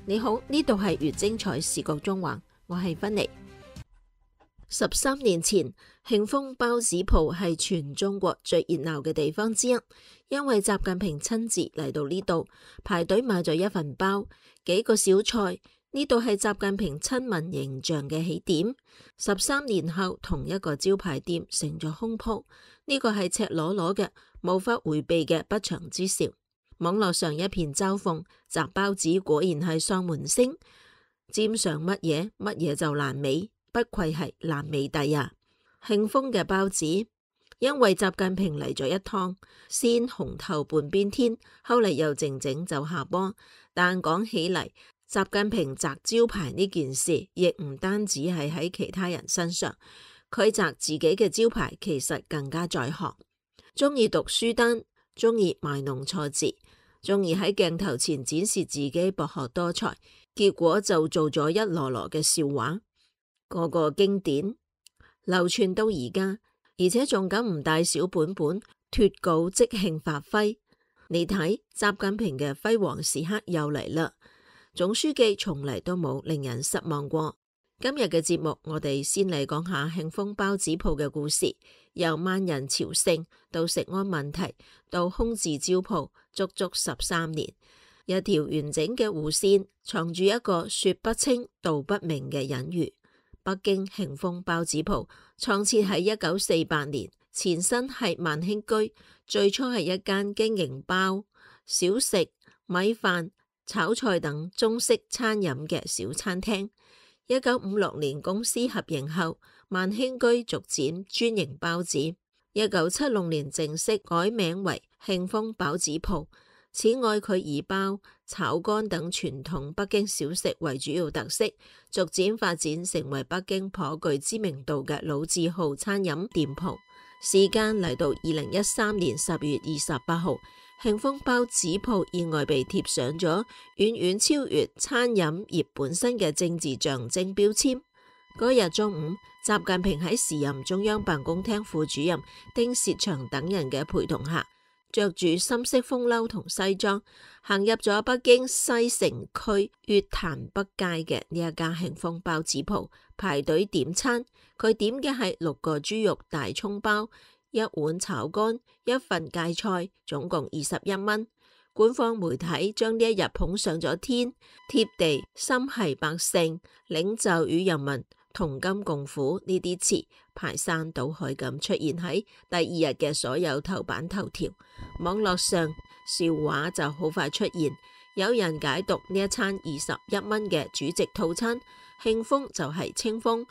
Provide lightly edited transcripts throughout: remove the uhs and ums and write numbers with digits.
你好，呢度係越精彩視覺中環，我係芬妮。13年前，慶豐包子鋪係全中國最熱鬧嘅地方之一，因為習近平親自嚟到呢度排隊買咗一份包，幾個小菜。呢度係習近平親民形象嘅起點。13年後，同一個招牌店成咗空鋪，呢個係赤裸裸嘅、無法回避嘅不祥之兆。網絡上一片嘲諷，雜包子果然係喪門星，沾上乜嘢乜嘢就爛尾，不愧係爛尾帝啊！慶豐嘅包子，因為習近平嚟咗一趟，先紅透半邊天，後嚟又靜靜就下坡。但講起嚟，習近平摘招牌呢件事，亦唔單止係喺其他人身上，佢摘自己嘅招牌，其實更加在行。鍾意讀書單，鍾意賣弄錯字，鍾意喺鏡頭前展示自己博學多才，結果就做咗一籮籮嘅笑話，個個經典流傳到而家，而且仲敢唔帶小本本脫稿即興發揮。你睇，習近平嘅輝煌時刻又嚟啦！總書記從嚟都冇令人失望過。今日嘅節目，我哋先嚟講下慶豐包子鋪嘅故事，由萬人朝聖到食安問題，到空置招鋪，足足13年，一條完整嘅弧線，藏住一個說不清道不明嘅隱喻。北京慶豐包子鋪創設喺1948年，前身係萬興居，最初係一間經營包、小食、米飯、炒菜等中式餐飲嘅小餐廳。1956年公司合營後，萬興居逐漸專營包子。1976年正式改名為慶豐包子鋪。此外，佢以包、炒肝等傳統北京小食為主要特色，逐漸發展成為北京頗具知名度嘅老字號餐飲店鋪。時間嚟到2013年10月28號，慶豐包子鋪意外被貼上咗遠遠超越餐飲業本身嘅政治象徵標籤。嗰日中午，習近平喺時任中央辦公廳副主任丁薛祥等人嘅陪同下，着住深色風褸同西裝，行入咗北京西城區月壇北街嘅呢一家慶豐包子鋪，排隊點餐。佢點嘅係6個豬肉大蔥包、1碗炒肝、1份芥菜，總共21蚊。官方媒體將呢一日捧上咗天，貼地心繫百姓，領袖與人民同甘共苦呢啲詞排山倒海咁出現喺第二日嘅所有頭版頭條。網絡上笑話就好快出現，有人解讀呢一餐21蚊嘅主席套餐，慶豐就係清風，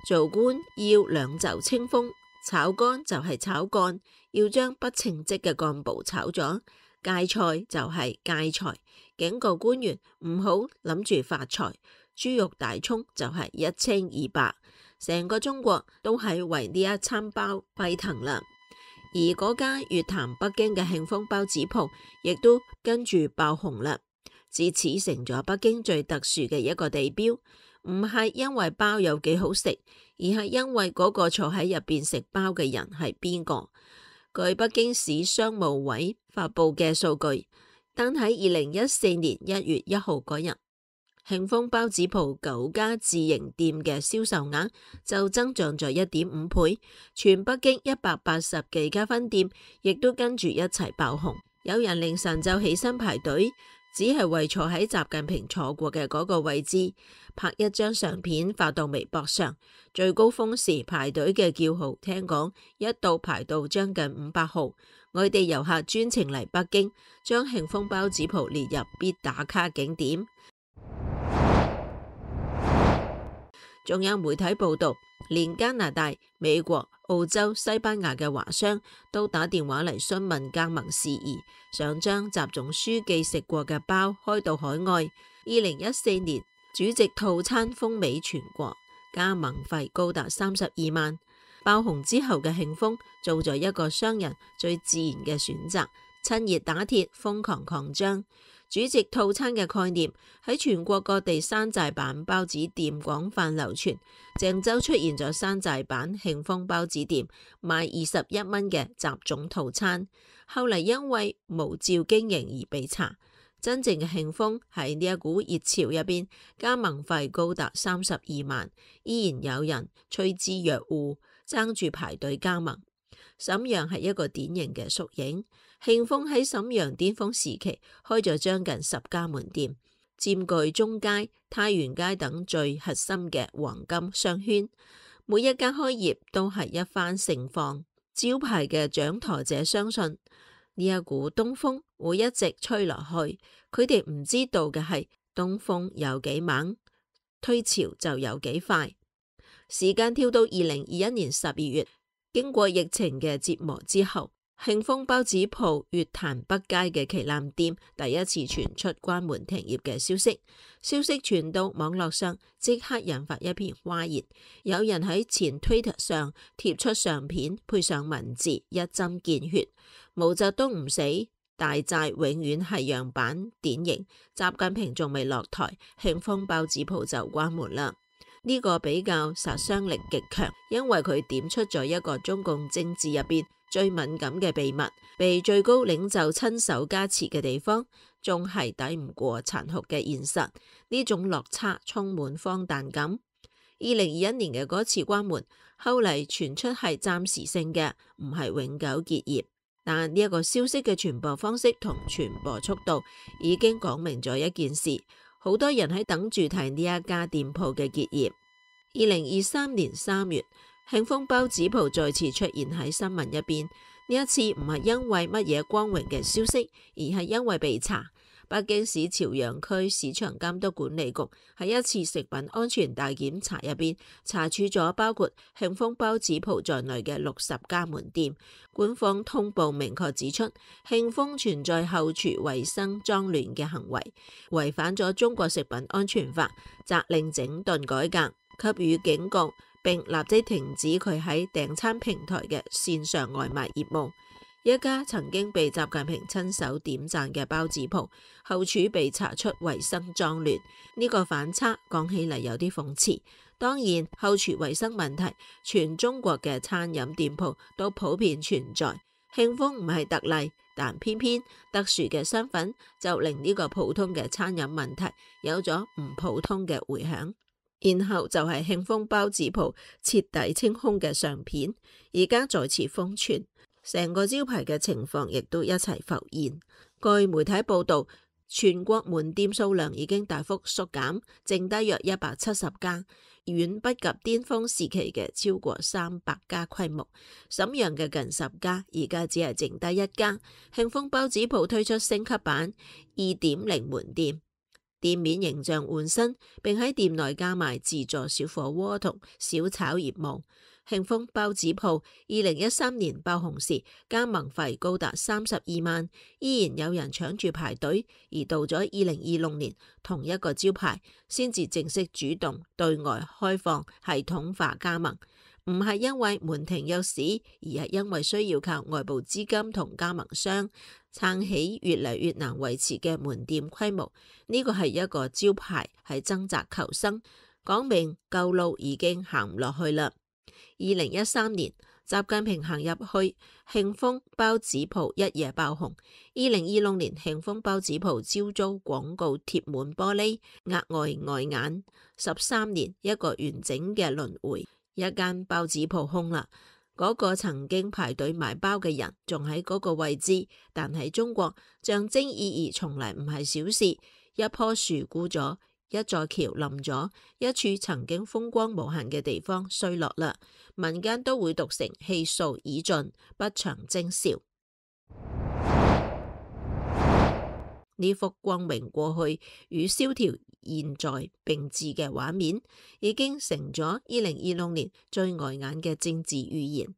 做官要兩袖清風，炒肝就係炒幹，要將不稱職嘅幹部炒咗，芥菜就係芥菜，警告官員唔好諗住發財，豬肉大蔥就係一清二白，成個中國都係為呢一餐包沸騰啦。而嗰家月壇北京嘅慶豐包子鋪亦都跟住爆紅啦，自此成咗北京最特殊嘅一個地標。唔係因為包有幾好食，而係因為嗰個坐喺入邊食包嘅人係邊個。據北京市商務委發佈嘅數據，單喺2014年1月1號嗰日，慶豐包子鋪9家自營店嘅銷售額就增長咗1.5倍，全北京180幾家分店亦都跟住一齊爆紅。有人凌晨就起身排隊，只係為坐喺習近平坐過嘅嗰個位置，拍一張相片發到微博上。最高峰時排隊嘅叫號，聽講一度排到將近500號。外地遊客專程嚟北京，將慶豐包子鋪列入必打卡景點。仲有媒體報道，連加拿大、美國、澳洲、西班牙嘅華商都打電話嚟詢問加盟事宜，想將習總書記食過嘅包開到海外。2014年主席套餐風靡全國，加盟費高達32萬。爆紅之後嘅慶豐做咗一個商人最自然嘅選擇，趁熱打鐵，瘋狂擴張。主席套餐嘅概念喺全國各地山寨版包子店廣泛流傳。鄭州出現咗山寨版慶豐包子店，賣21蚊嘅習總套餐。後嚟因為無照經營而被查，真正嘅慶豐喺呢一股熱潮入邊，加盟費高達32萬，依然有人趨之若鶩，爭住排隊加盟。瀋陽係一個典型嘅縮影。慶豐喺瀋陽巔峰時期開咗將近10家門店，佔據中街、太原街等最核心嘅黃金商圈。每一家開業都係一番盛況。招牌嘅掌舵者相信呢一股東風會一直吹落去。佢哋唔知道嘅係東風有幾猛，退潮就有幾快。時間跳到2021年12月，經過疫情嘅折磨之後，慶豐包子鋪月壇北街嘅旗艦店第一次傳出關門停業嘅消息。消息傳到網絡上，即刻引發一片譁然。有人喺前 Twitter 上貼出相片，配上文字，一針見血：毛澤東唔死，大寨永遠係樣板典型。習近平仲未落台，慶豐包子鋪就關門啦。呢個比較殺傷力極強，因為佢點出咗一個中共政治入邊最敏感嘅秘密，被最高領袖親手加持嘅地方，仲係抵唔過殘酷嘅現實。呢種落差充滿荒誕感。2021年嘅嗰次關門，後嚟傳出係暫時性嘅，唔係永久結業。但呢一個消息嘅傳播方式同傳播速度，已經講明咗一件事。好多人喺等住睇呢一家店鋪嘅結業。2023年3月，慶豐包子鋪再次出現喺新聞入邊。呢一次唔係因為乜嘢光榮嘅消息，而係因為被查。北京市朝陽區市場監督管理局喺一次食品安全大檢查入邊，查處咗包括慶豐包子鋪在內嘅60家門店。官方通報明確指出，慶豐存在後廚衛生髒亂嘅行為，違反咗中國食品安全法，責令整頓改革，給予警告，並立即停止佢喺訂餐平台嘅線上外賣業務。一家曾經被習近平親手點讚嘅包子鋪，後廚被查出衛生髒亂，呢個反差講起嚟有啲諷刺。當然，後廚衛生問題，全中國嘅餐飲店鋪都普遍存在，慶豐唔係特例，但偏偏特殊嘅身份就令呢個普通嘅餐飲問題有咗唔普通嘅回響。然後就係慶豐包子鋪徹底清空嘅相片，而家再次瘋傳。成個招牌嘅情況亦都一齊浮現。據媒體報道，全國門店數量已經大幅縮減，剩低約170家，遠不及巔峰時期嘅超過300家規模。瀋陽嘅近10家，而家只係剩低1家。慶豐包子鋪推出升級版 2.0 門店，店面形象換新，並喺店內加賣自助小火鍋同小炒業務。慶豐包子鋪2013年爆紅時，加盟費高達32萬，依然有人搶住排隊。而到咗2026年，同一個招牌先至正式主動對外開放系統化加盟，唔係因為門庭若市，而係因為需要靠外部資金同加盟商撐起越嚟越難維持嘅門店規模。呢個係一個招牌喺掙扎求生，講明舊路已經行唔落去啦。2013年，習近平行入去，慶豐包子鋪一夜爆紅。2026年，慶豐包子鋪招租廣告貼滿玻璃，額外礙眼。13年，一個完整嘅輪迴，一間包子鋪空啦。嗰個曾經排隊買包嘅人仲喺嗰個位置，但喺中國，象徵意義從嚟唔係小事。一棵樹枯咗，一座橋冧咗，一處曾經風光無限嘅地方衰落啦，民間都會讀成氣數已盡，不長徵兆。呢幅光榮過去與蕭條現在並置嘅畫面，已經成咗2026年最礙眼嘅政治預言。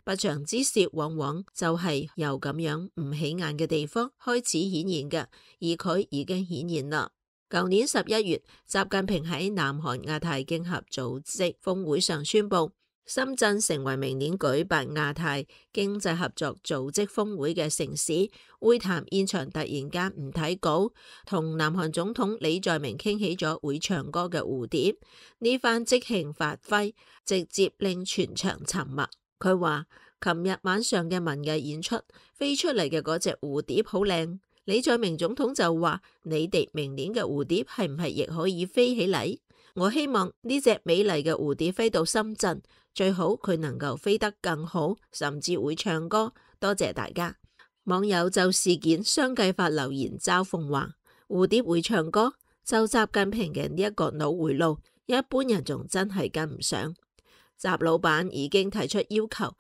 不祥之兆往往就係由咁樣唔起眼嘅地方開始顯現嘅，而佢已經顯現啦。舊年11月，習近平喺南韓亞太經合組織峰會上宣布，深圳成為明年舉辦亞太經濟合作組織峰會嘅城市。會談現場突然間唔睇稿，同南韓總統李在明傾起咗會唱歌嘅蝴蝶。呢番即興發揮，直接令全場沉默。佢話：琴日晚上嘅文藝演出飛出嚟嘅嗰隻蝴蝶好靚。李在明總統就話：你哋明年嘅蝴蝶係唔係亦可以飛起嚟？我希望呢隻美麗嘅蝴蝶飛到深圳，最好佢能夠飛得更好，甚至會唱歌。多謝大家。網友就事件相繼發留言嘲諷話：蝴蝶會唱歌，就習近平嘅呢一個腦回路，一般人仲真係跟唔上。習老闆已經提出要求，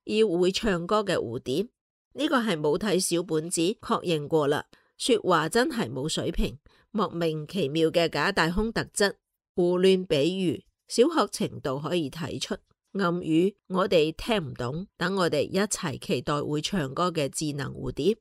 要會唱歌嘅蝴蝶。呢個係冇睇小本子確認過啦，說話真係冇水平，莫名其妙嘅假大空特質，胡亂比喻，小學程度可以睇出，暗語我哋聽唔懂，等我哋一齊期待會唱歌嘅智能蝴蝶。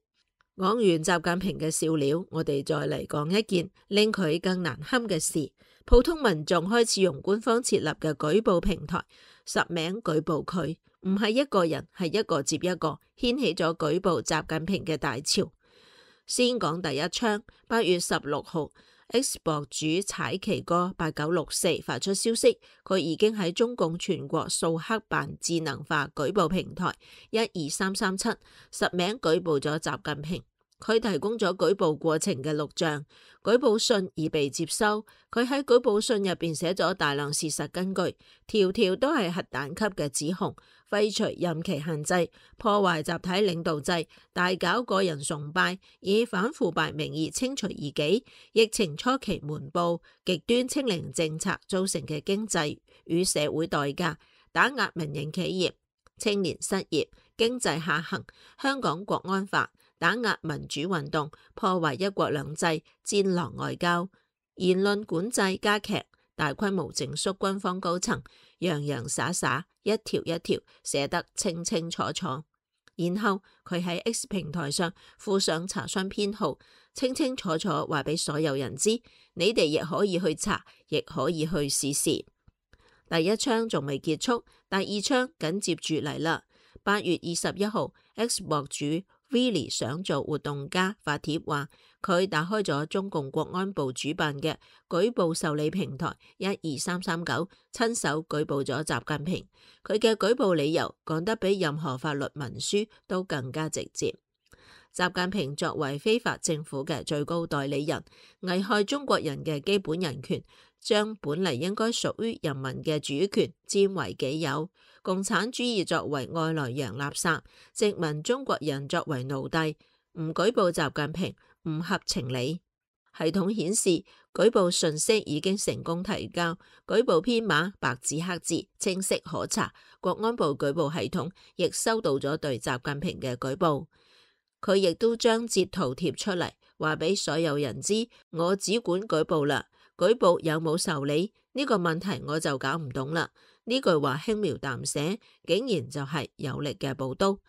講完習近平嘅笑料，我哋再嚟講一件令佢更難堪嘅事，普通民眾開始用官方設立嘅舉報平台實名舉報佢。唔係一個人，係一個接一個，掀起咗舉報習近平嘅大潮。先講第一槍，8月16號，X 博主踩旗哥8964發出消息，佢已經喺中共全國掃黑辦智能化舉報平台12337實名舉報咗習近平。佢提供咗舉報過程嘅錄像，舉報信已被接收。佢喺舉報信入邊寫咗大量事實根據，條條都係核彈級嘅指控，廢除任期限制，破壞集體領導制，大搞個人崇拜，以反腐敗名義清除異己。疫情初期瞞報極端清零政策造成嘅經濟與社會代價，打壓民營企業，青年失業，經濟下行，香港國安法，打壓民主運動，破壞一國兩制，戰狼外交，言論管制加劇，大規模整肅軍方高層，洋洋灑灑，一條一條寫得清清楚楚。然後佢喺 X 平台上附上查詢編號，清清楚楚話俾所有人知，你哋亦可以去查，亦可以去試試。第一槍仲未結束，第二槍緊接住嚟啦。8月21號，X 博主Willy 想做活動家發帖話，佢打開咗中共國安部主辦嘅舉報受理平台12339，親手舉報咗習近平。佢嘅舉報理由講得比任何法律文書都更加直接。習近平作為非法政府嘅最高代理人，危害中國人嘅基本人權，將本嚟應該屬於人民嘅主權佔為己有。共產主義作為外來洋垃圾，殖民中國人作為奴隸，唔舉報習近平唔合情理。系統顯示舉報信息已經成功提交，舉報編碼白紙黑字，清晰可查。國安部舉報系統亦收到咗對習近平嘅舉報，佢亦都將截圖貼出嚟，話俾所有人知，我只管舉報啦，舉報有冇受理呢個問題我就搞唔懂啦。呢句話輕描淡寫，竟然就係有力嘅寶刀。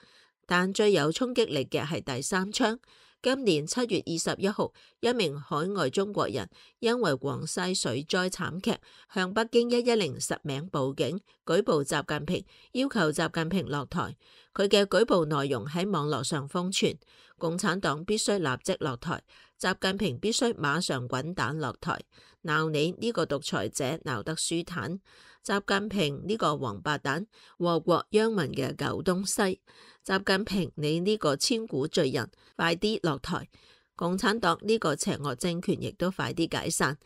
但最有衝擊力嘅係第三槍。今年7月21號，一名海外中國人因為廣西水災慘劇，向北京110實名報警，舉報習近平，要求習近平落台。佢嘅舉報內容喺網絡上瘋傳，共產黨必須立即落台，習近平必須馬上滾蛋落台。鬧你呢個獨裁者鬧得舒坦，習近平呢個王八蛋，禍國殃民嘅狗東西。習近平你呢個千古罪人，快啲落台！共產黨呢個邪惡政權亦都快啲解散，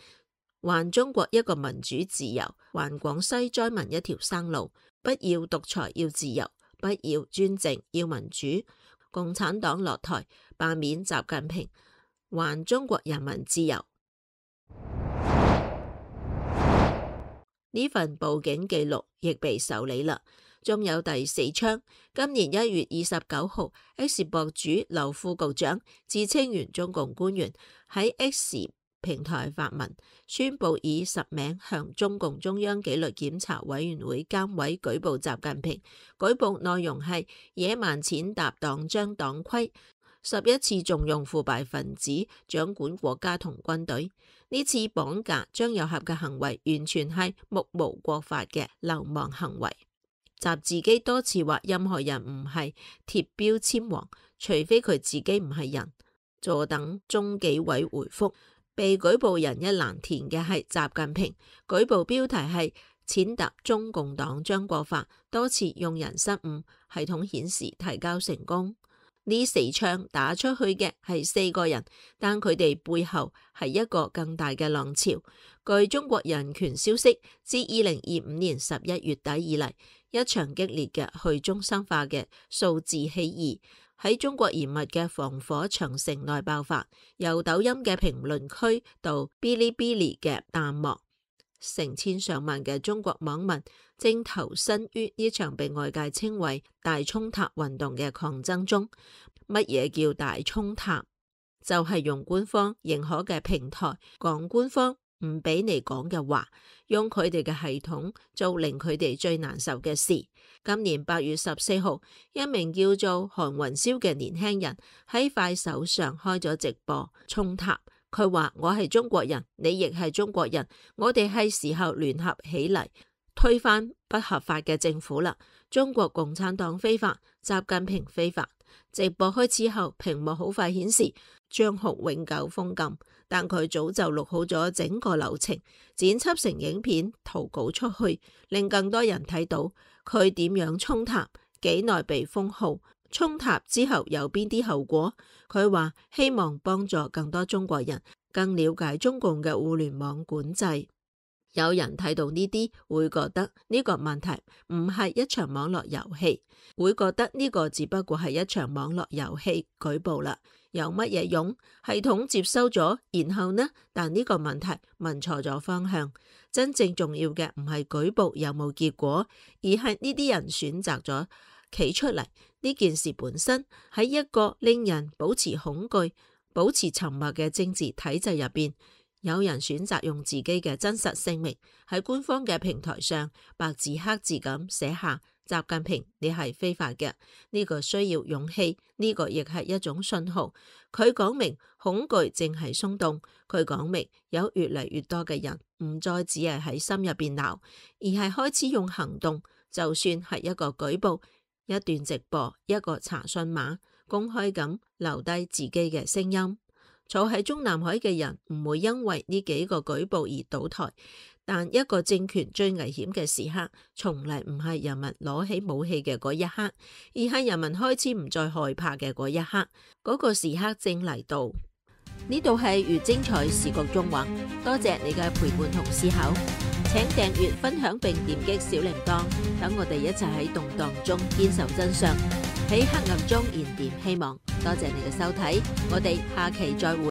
還中國一個民主自由，還廣西災民一條生路。不要獨裁，要自由；不要專政，要民主。共產黨落台，罷免習近平，還中國人民自由。呢份報警記錄亦被受理啦。仲有第四槍，今年1月29號，X 博主劉副局長自稱原中共官員喺 X 平台發文，宣佈以實名向中共中央紀律檢查委員會監委舉報習近平。舉報內容係野蠻踐踏黨章黨規，11次縱容腐敗分子掌管國家同軍隊。呢次綁架張又俠嘅行為完全係目無國法嘅流氓行為。習自己多次話任何人唔係貼標籤王，除非佢自己唔係人。坐等中紀委回覆。被舉報人一欄填嘅係習近平，舉報標題係踐踏中共黨章國法，多次用人失誤，系統顯示提交成功。呢4槍打出去嘅係4個人，但佢哋背後係一個更大嘅浪潮。據中國人權消息，自2025年11月底以嚟，一場激烈嘅去中心化嘅數字起義喺中國嚴密嘅防火長城內爆發，由抖音嘅評論區到嗶哩嗶哩嘅彈幕，成千上萬嘅中國網民正投身於呢場被外界稱為大衝塔運動嘅抗爭中。乜嘢叫大衝塔？就係用官方認可嘅平台講官方唔俾你講嘅話，用佢哋嘅系統做令佢哋最難受嘅事。今年8月14號，一名叫做韓雲霄嘅年輕人喺快手上開咗直播衝塔。佢話：我係中國人，你亦係中國人，我哋係時候聯合起嚟推翻不合法嘅政府啦！中國共產黨非法，習近平非法。直播開始後，屏幕好快顯示賬號永久封禁，但佢早就錄好咗整個流程，剪輯成影片投稿出去，令更多人睇到佢點樣衝塔，幾耐被封號，衝塔之後有邊啲後果。佢話希望幫助更多中國人更了解中共嘅互聯網管制。有人睇到呢啲會覺得呢個問題唔係一場網絡遊戲，會覺得呢個只不過係一場網絡遊戲，舉報啦，有乜嘢用？系統接收咗，然後呢？但呢個問題問錯咗方向。真正重要嘅唔係舉報有冇結果，而係呢啲人選擇咗企出嚟。呢件事本身喺一個令人保持恐懼、保持沉默嘅政治體制入邊，有人選擇用自己嘅真實姓名喺官方嘅平台上白字黑字咁寫下習近平，你係非法嘅。呢個需要勇氣，呢個亦係一種信號。佢講明恐懼正係鬆動，佢講明有越嚟越多嘅人唔再只係喺心入邊鬧，而係開始用行動。就算係一個舉報、一段直播、一個查詢碼，公開咁留低自己嘅聲音。坐喺中南海嘅人唔會因為呢幾個舉報而倒台，但一個政權最危險嘅時刻，從嚟唔係人民攞起武器嘅嗰一刻，而係人民開始唔再害怕嘅嗰一刻。嗰個時刻正嚟到。呢度係越精彩視覺縱橫，多謝你嘅陪伴同思考，請訂閱、分享並點擊小鈴鐺，等我哋一齊喺動盪中堅守真相，喺黑暗中燃點希望。多謝你嘅收睇，我哋下期再會。